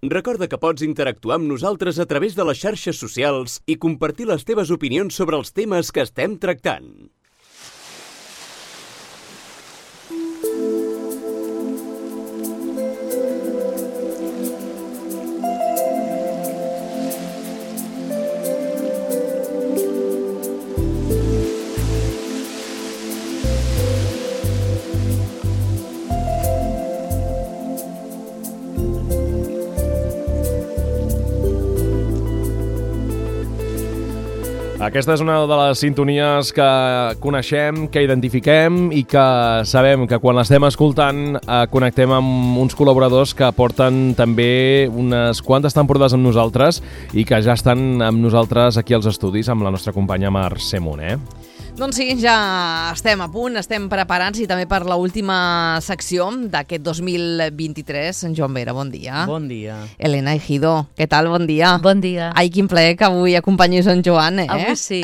Recorda que pots interactuar amb nosaltres a través de les xarxes socials i compartir les teves opinions sobre els temes que estem tractant. Aquesta és una de les sintonies que coneixem, que identifiquem i que sabem que quan l'estem escoltant connectem amb uns col·laboradors que porten també unes quantes temporades amb nosaltres i que ja estan amb nosaltres aquí als estudis amb la nostra companya Mercè Moner. Doncs sí, ja estem a punt, estem preparats i també per l'última secció d'aquest 2023. Joan Vera, bon dia. Bon dia. Elena Ejido, què tal? Bon dia. Bon dia. Ai, quin plaer que avui acompanyis en Joan, eh? Avui sí.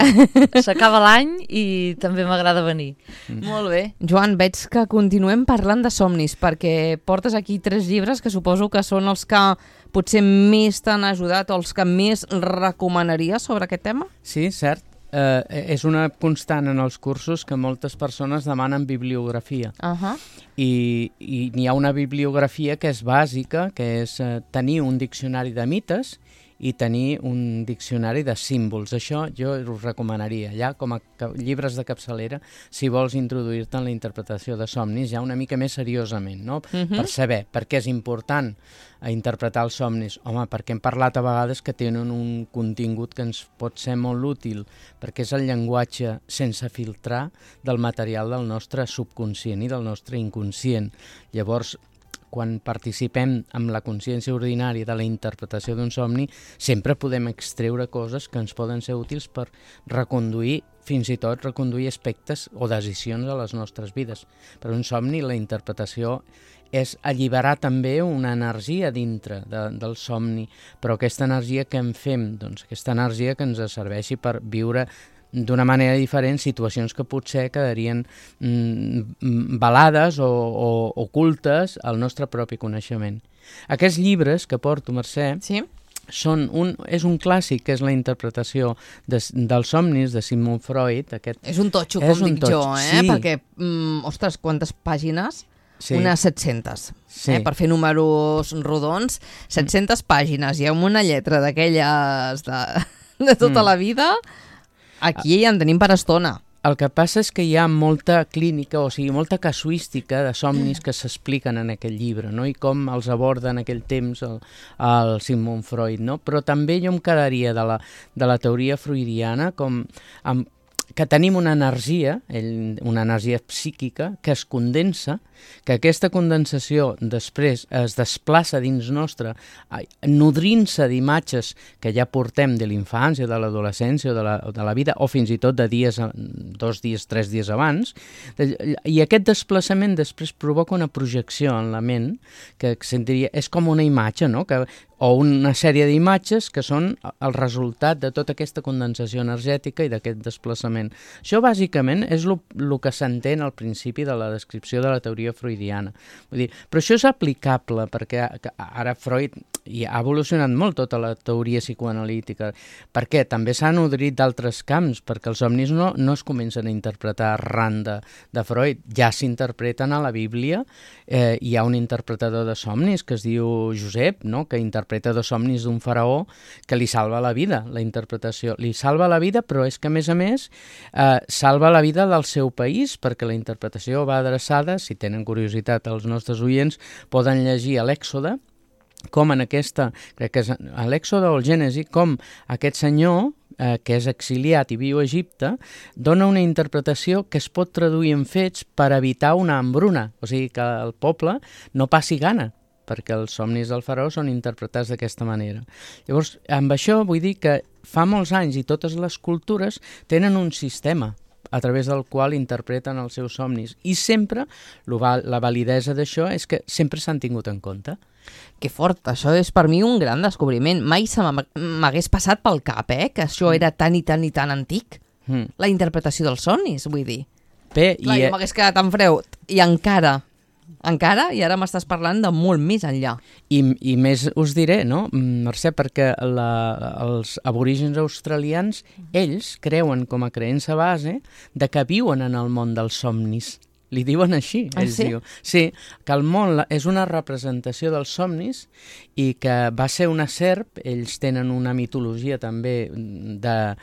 S'acaba l'any i també m'agrada venir. Molt bé. Joan, veig que continuem parlant de somnis, perquè portes aquí 3 llibres que suposo que són els que potser més t'han ajudat o els que més recomanaries sobre aquest tema? Sí, cert. És una constant en els cursos que moltes persones demanen bibliografia. I n'hi ha una bibliografia que és bàsica, que és tenir un diccionari de mites i tenir un diccionari de símbols. Això jo us recomanaria, ja com a llibres de capçalera, si vols introduir-te en la interpretació de somnis, ja una mica més seriosament, no? Per saber per què és important interpretar els somnis. Home, perquè hem parlat a vegades que tenen un contingut que ens pot ser molt útil, perquè és el llenguatge sense filtrar del material del nostre subconscient i del nostre inconscient. Llavors, quan participem amb la consciència ordinària de la interpretació d'un somni, sempre podem extreure coses que ens poden ser útils per reconduir, fins i tot reconduir aspectes o decisions a les nostres vides. Per un somni, la interpretació és alliberar també una energia dintre del somni, però aquesta energia que en fem, doncs aquesta energia que ens serveixi per viure d'una manera diferent situacions que potser quedarien velades o ocultes al nostre propi coneixement. Aquests llibres que porto, Mercè, sí? És un clàssic, que és la interpretació dels somnis de Sigmund Freud. És un totxo, com dic jo, sí. Perquè, ostres, quantes pàgines? Sí. Unes 700, sí. Per fer números rodons, 700 pàgines, i amb una lletra d'aquelles de tota la vida, aquí ja en tenim per estona. El que passa és que hi ha molta clínica, o sigui, molta casuística de somnis que s'expliquen en aquest llibre, no? I com els aborda en aquell temps el Sigmund Freud, no? Però també jo em quedaria de la teoria freudiana que tenim una energia psíquica que es condensa, que aquesta condensació després es desplaça dins nostre, nodrint-se d'imatges que ja portem de l'infància, de l'adolescència o de la vida, o fins i tot de 2 dies, 3 dies abans, i aquest desplaçament després provoca una projecció en la ment, que és com una imatge, no? O una sèrie d'imatges que són el resultat de tota aquesta condensació energètica i d'aquest desplaçament. Això bàsicament és el que s'entén al principi de la descripció de la teoria freudiana. Vull dir, però això és aplicable perquè ara Freud ha evolucionat molt tota la teoria psicoanalítica, perquè també s'ha nodrit d'altres camps, perquè els somnis no es comencen a interpretar arran de Freud, ja s'interpreten a la Bíblia. Hi ha un interpretador de somnis que es diu Josep, no? Que interpreta 2 somnis d'un faraó que li salva la vida, la interpretació. Li salva la vida, però és que, a més, salva la vida del seu país, perquè la interpretació va adreçada, si tenen curiositat els nostres oients, poden llegir a l'Èxode, com en aquesta, crec que és a l'Èxode o el Gènesi, com aquest senyor, que és exiliat i viu a Egipte, dona una interpretació que es pot traduir en fets per evitar una hambruna, o sigui que el poble no passi gana, perquè els somnis del faraó són interpretats d'aquesta manera. Llavors, amb això vull dir que fa molts anys i totes les cultures tenen un sistema a través del qual interpreten els seus somnis. I sempre la validesa d'això és que sempre s'han tingut en compte. Que fort, això és per mi un gran descobriment. Mai se m'hagués passat pel cap, que això era tan i tan i tan antic. La interpretació dels somnis, vull dir. Bé, clar, jo m'hagués quedat en freud. I encara encara, i ara m'estàs parlant de molt més enllà. I més us diré, no, Mercè, perquè els aborígens australians, ells creuen com a creença base de que viuen en el món dels somnis. Li diuen així, ells diuen. Sí, que el món és una representació dels somnis i que va ser una serp, ells tenen una mitologia també diguem-ne,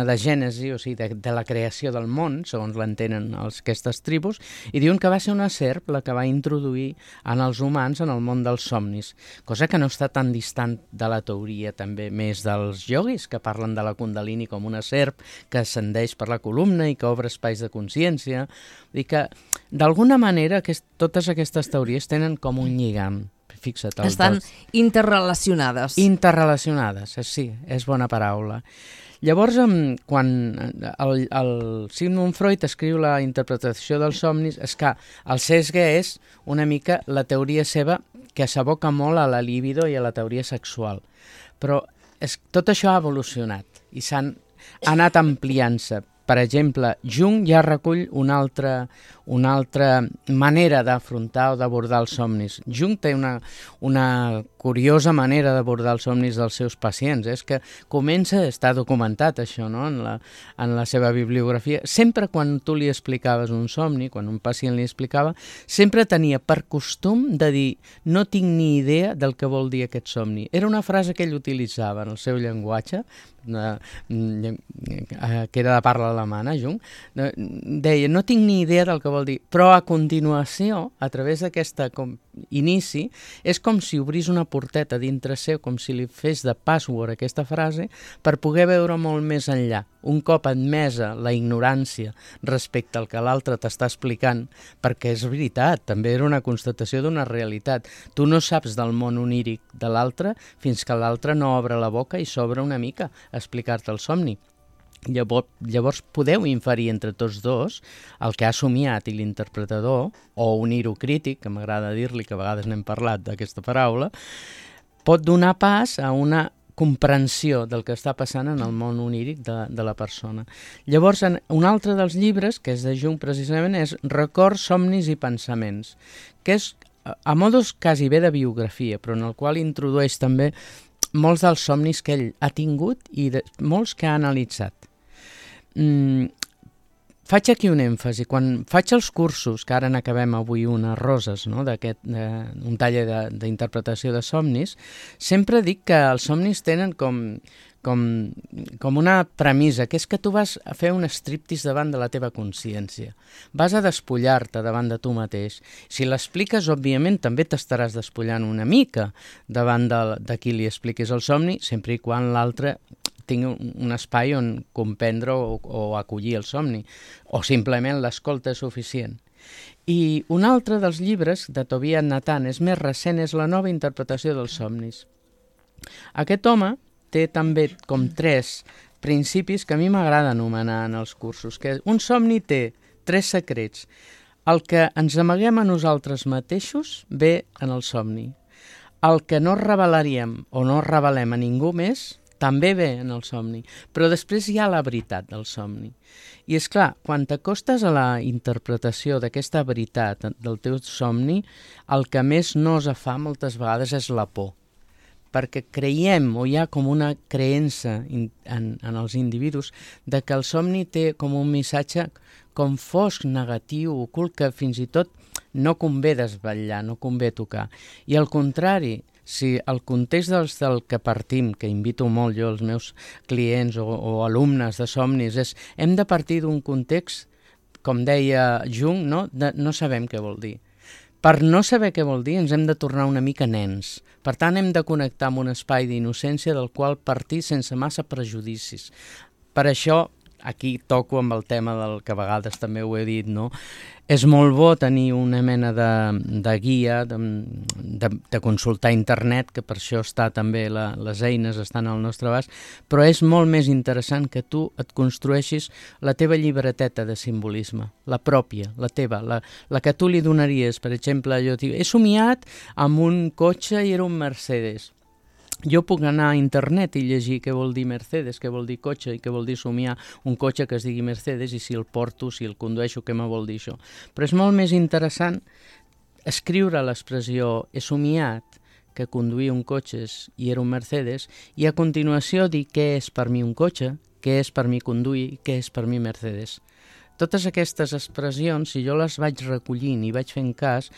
de gènesi, o sigui, de la creació del món, segons l'entenen aquestes tribus, i diuen que va ser una serp la que va introduir en els humans en el món dels somnis, cosa que no està tan distant de la teoria també més dels yogis, que parlen de la Kundalini com una serp que ascendeix per la columna i que obre espais de consciència. Vull dir que, d'alguna manera, totes aquestes teories tenen com un lligam. Fixa't. Estan interrelacionades. Interrelacionades, sí, és bona paraula. Llavors, quan el Sigmund Freud escriu la interpretació dels somnis, és que el sesgue és una mica la teoria seva que s'aboca molt a la libido i a la teoria sexual. Però tot això ha evolucionat i s'han anat ampliant-se. Per exemple, Jung ja recull una altra manera d'afrontar o d'abordar els somnis. Jung té una curiosa manera d'abordar els somnis dels seus pacients. És que està documentat això, no?, en la seva bibliografia. Sempre quan tu li explicaves un somni, quan un pacient li explicava, sempre tenia per costum de dir no tinc ni idea del que vol dir aquest somni. Era una frase que ell utilitzava en el seu llenguatge, que era de parla alemana, Jung, deia, no tinc ni idea del que vol dir, però a continuació, a través d'aquest inici, és com si obrís una porteta dintre seu, com si li fes de password aquesta frase, per poder veure molt més enllà. Un cop admesa la ignorància respecte al que l'altre t'està explicant, perquè és veritat, també era una constatació d'una realitat. Tu no saps del món oníric de l'altre fins que l'altre no obre la boca i s'obre una mica a explicar-te el somni. Llavors podeu inferir entre tots dos el que ha somiat i l'interpretador, o unir-ho crític, que m'agrada dir-li, que a vegades n'hem parlat d'aquesta paraula, pot donar pas a una comprensió del que està passant en el món oníric de la persona. Llavors, un altre dels llibres, que és de Jung precisament, és Records, somnis i pensaments, que és a modos quasi bé de biografia, però en el qual introdueix també molts dels somnis que ell ha tingut i molts que ha analitzat. Faig aquí un èmfasi. Quan faig els cursos, que ara n'acabem avui unes roses, no?, un taller d'interpretació de somnis, sempre dic que els somnis tenen com una premissa, que és que tu vas a fer un striptease davant de la teva consciència. Vas a despullar-te davant de tu mateix. Si l'expliques, òbviament, també t'estaràs despullant una mica davant de qui li expliquis el somni, sempre i quan l'altre tingui un espai on comprendre o acollir el somni, o simplement l'escolta és suficient. I un altre dels llibres de Tobias Nathan, és més recent, és La nova interpretació dels somnis. Aquest home té també com 3 principis que a mi m'agrada anomenar en els cursos, que un somni té 3 secrets. El que ens amaguem a nosaltres mateixos ve en el somni. El que no revelaríem o no revelem a ningú més també ve en el somni, però després hi ha la veritat del somni. I és clar, quan t'acostes a la interpretació d'aquesta veritat del teu somni, el que més nos fa moltes vegades és la por, perquè creiem, o hi ha com una creença en els individus, de que el somni té com un missatge com fosc, negatiu, ocult, que fins i tot no convé desvetllar, no convé tocar. I al contrari, si el context del que partim, que invito molt jo als meus clients o alumnes de somnis, és hem de partir d'un context, com deia Jung, no sabem què vol dir. Per no saber què vol dir ens hem de tornar una mica nens. Per tant, hem de connectar amb un espai d'innocència del qual partir sense massa prejudicis. Per això, aquí toco amb el tema del que a vegades també ho he dit, no? És molt bo tenir una mena de guia, de consultar internet, que per això està també les eines estan al nostre abast, però és molt més interessant que tu et construeixis la teva llibreteta de simbolisme, la pròpia, la teva, la que tu li donaries. Per exemple, jo he somiat amb un cotxe i era un Mercedes. Jo puc anar a internet i llegir què vol dir Mercedes, què vol dir cotxe i què vol dir somiar un cotxe que es digui Mercedes i si el porto, si el condueixo, què me vol dir això. Però és molt més interessant escriure l'expressió he somiat que conduir un cotxe i era un Mercedes i a continuació dir què és per mi un cotxe, què és per mi conduir, què és per mi Mercedes. Totes aquestes expressions, si jo les vaig recollint i vaig fent cas,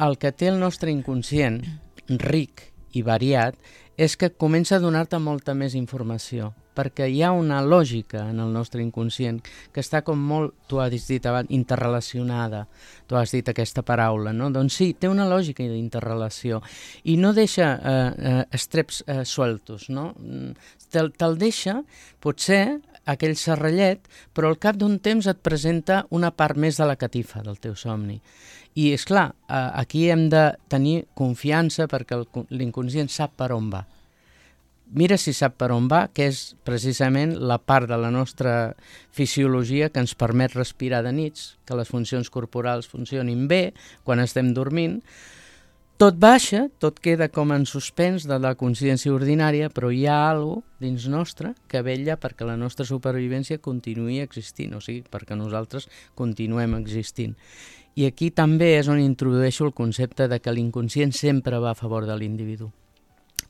el que té el nostre inconscient ric i variat és que comença a donar-te molta més informació, perquè hi ha una lògica en el nostre inconscient que està com molt, tu has dit abans, interrelacionada, tu has dit aquesta paraula, no? Doncs sí, té una lògica d'interrelació i no deixa estreps sueltos, no? Te'l deixa, potser, aquell serrallet, però al cap d'un temps et presenta una part més de la catifa del teu somni. I, és clar, aquí hem de tenir confiança perquè l'inconscient sap per on va. Mira si sap per on va, que és precisament la part de la nostra fisiologia que ens permet respirar de nits, que les funcions corporals funcionin bé quan estem dormint. Tot baixa, tot queda com en suspens de la consciència ordinària, però hi ha alguna cosa dins nostre que vetlla perquè la nostra supervivència continuï existint, o sigui, perquè nosaltres continuem existint. I aquí també és on introdueixo el concepte de que l'inconscient sempre va a favor de l'individu.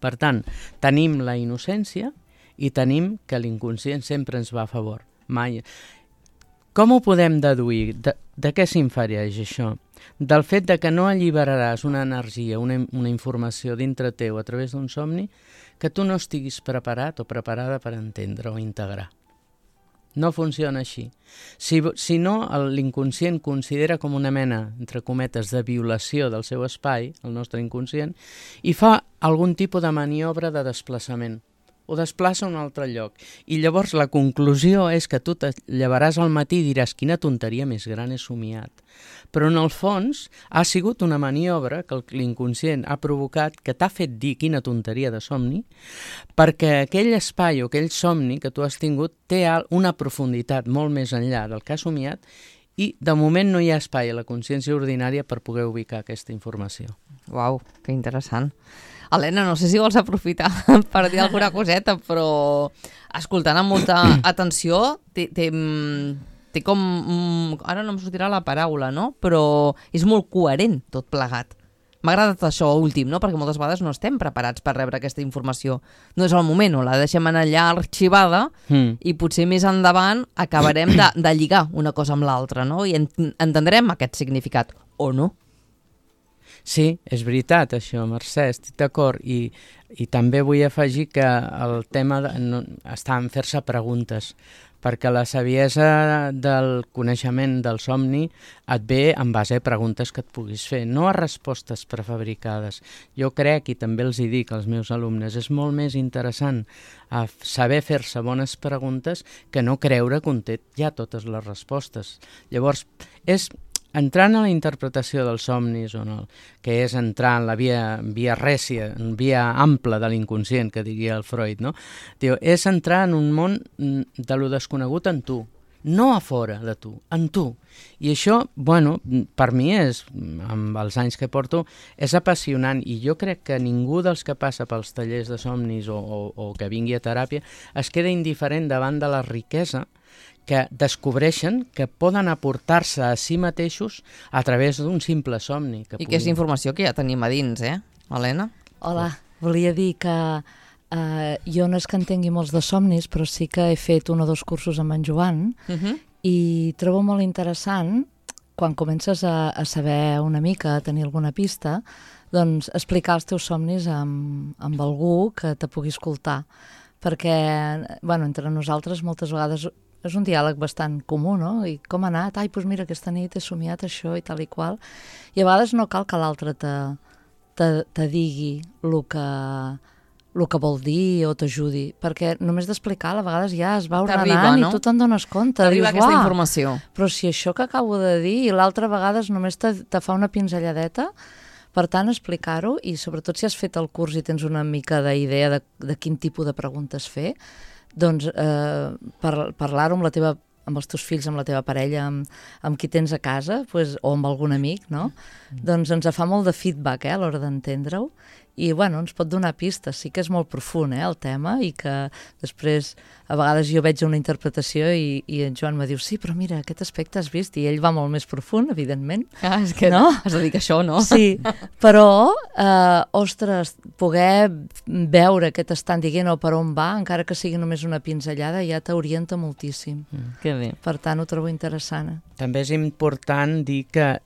Per tant, tenim la innocència i tenim que l'inconscient sempre ens va a favor. Mai. Com ho podem deduir? De què s'infereix això? Del fet de que no alliberaràs una energia, una informació dintre teu a través d'un somni que tu no estiguis preparat o preparada per entendre o integrar. No funciona així. Si no, l'inconscient considera com una mena, entre cometes, de violació del seu espai, el nostre inconscient, i fa algun tipus de maniobra de desplaçament. Ho desplaça a un altre lloc. I llavors la conclusió és que tu te llevaràs al matí i diràs quina tonteria més gran he somiat. Però en el fons ha sigut una maniobra que l'inconscient ha provocat, que t'ha fet dir quina tonteria de somni, perquè aquell espai o aquell somni que tu has tingut té una profunditat molt més enllà del que has somiat i de moment no hi ha espai a la consciència ordinària per poder ubicar aquesta informació. Uau, que interessant. Helena, no sé si vols aprofitar per dir alguna coseta, però escoltant amb molta atenció, té com... Ara no em sortirà la paraula, no? Però és molt coherent tot plegat. M'ha agradat això últim, no? Perquè moltes vegades no estem preparats per rebre aquesta informació. No és el moment, o la deixem allà arxivada i potser més endavant acabarem de lligar una cosa amb l'altra, no? I entendrem aquest significat, o no? Sí, és veritat això, Mercè, estic d'acord. I també vull afegir que el tema està en fer-se preguntes, perquè la saviesa del coneixement del somni et ve en base a preguntes que et puguis fer, no a respostes prefabricades. Jo crec, i també els hi dic als meus alumnes, és molt més interessant saber fer-se bones preguntes que no creure que un té ja totes les respostes. Llavors, és entrant a la interpretació dels somnis, que és entrar en la via rècia, en via ampla de l'inconscient, que diria el Freud, no? És entrar en un món de lo desconegut en tu, no a fora de tu, en tu. I això, bueno, per mi és, amb els anys que porto, és apassionant i jo crec que ningú dels que passa pels tallers de somnis o que vingui a teràpia es queda indiferent davant de la riquesa que descobreixen que poden aportar-se a si mateixos a través d'un simple somni. I que és informació que ja tenim a dins, Helena? Hola, volia dir que jo no és que entengui molts de somnis, però sí que he fet 1 o 2 cursos amb en Joan i trobo molt interessant, quan comences a saber una mica, a tenir alguna pista, doncs explicar els teus somnis amb algú que te pugui escoltar. Perquè, bueno, entre nosaltres moltes vegades és un diàleg bastant comú, no? I com ha anat? Ai, doncs mira, aquesta nit he somiat això i tal i qual. I a vegades no cal que l'altre te digui el que vol dir o t'ajudi, perquè només d'explicar a vegades ja es va ordenant, no? I tu te'n dones compte. T'arriba aquesta informació. Però si això que acabo de dir i l'altra vegades només te fa una pinzelladeta, per tant, explicar-ho i sobretot si has fet el curs i tens una mica d'idea de quin tipus de preguntes fer, doncs parlar-ho amb els teus fills, amb la teva parella, amb qui tens a casa, o amb algun amic, no? Doncs ens fa molt de feedback a l'hora d'entendre-ho i bueno, ens pot donar pistes. Sí que és molt profund el tema i que després a vegades jo veig una interpretació i en Joan me diu sí, però mira, aquest aspecte has vist, i ell va molt més profund, evidentment. És que no? Has de dir que això, no? Sí, però, ostres, poder veure què t'estan dient o per on va, encara que sigui només una pinzellada, ja t'orienta moltíssim. Que bé. Per tant, ho trobo interessant. També és important dir que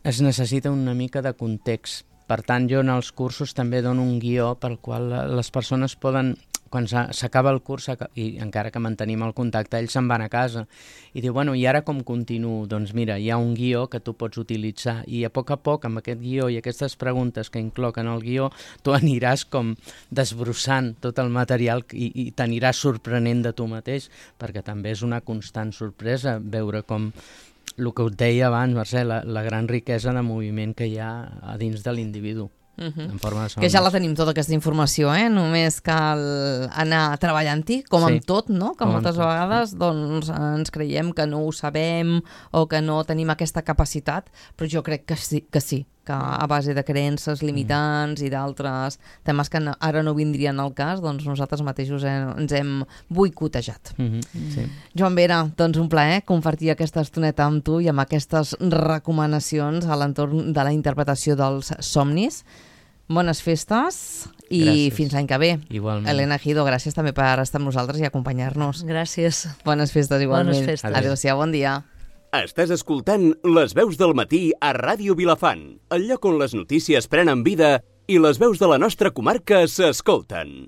es necessita una mica de context. Per tant, jo en els cursos també dono un guió pel qual les persones poden, quan s'acaba el curs, i encara que mantenim el contacte, ells se'n van a casa i diu, bueno, i ara com continuo? Doncs mira, hi ha un guió que tu pots utilitzar i a poc, amb aquest guió i aquestes preguntes que incloquen el guió, tu aniràs com desbrossant tot el material i t'aniràs sorprenent de tu mateix, perquè també és una constant sorpresa veure com el que us deia abans, Mercè, la gran riquesa de moviment que hi ha a dins de l'individu. En forma de somnis. Que ja la tenim tota aquesta informació, només cal anar treballant-hi, com amb tot, no? Que moltes vegades doncs, ens creiem que no ho sabem o que no tenim aquesta capacitat, però jo crec que sí, que a base de creences limitants i d'altres temes que ara no vindrien al cas, doncs nosaltres mateixos ens hem boicotejat. Sí. Joan Vera, doncs un plaer compartir aquesta estoneta amb tu i amb aquestes recomanacions a l'entorn de la interpretació dels somnis. Bones festes i Gràcies. fins l'any que ve. Igualment. Elena Gido, gràcies també per estar amb nosaltres i acompanyar-nos. Gràcies. Bones festes igualment. Bones festes. Adéu-siau, bon dia. Estàs escoltant Les veus del matí a Ràdio Vilafant, el lloc on les notícies prenen vida i les veus de la nostra comarca s'escolten.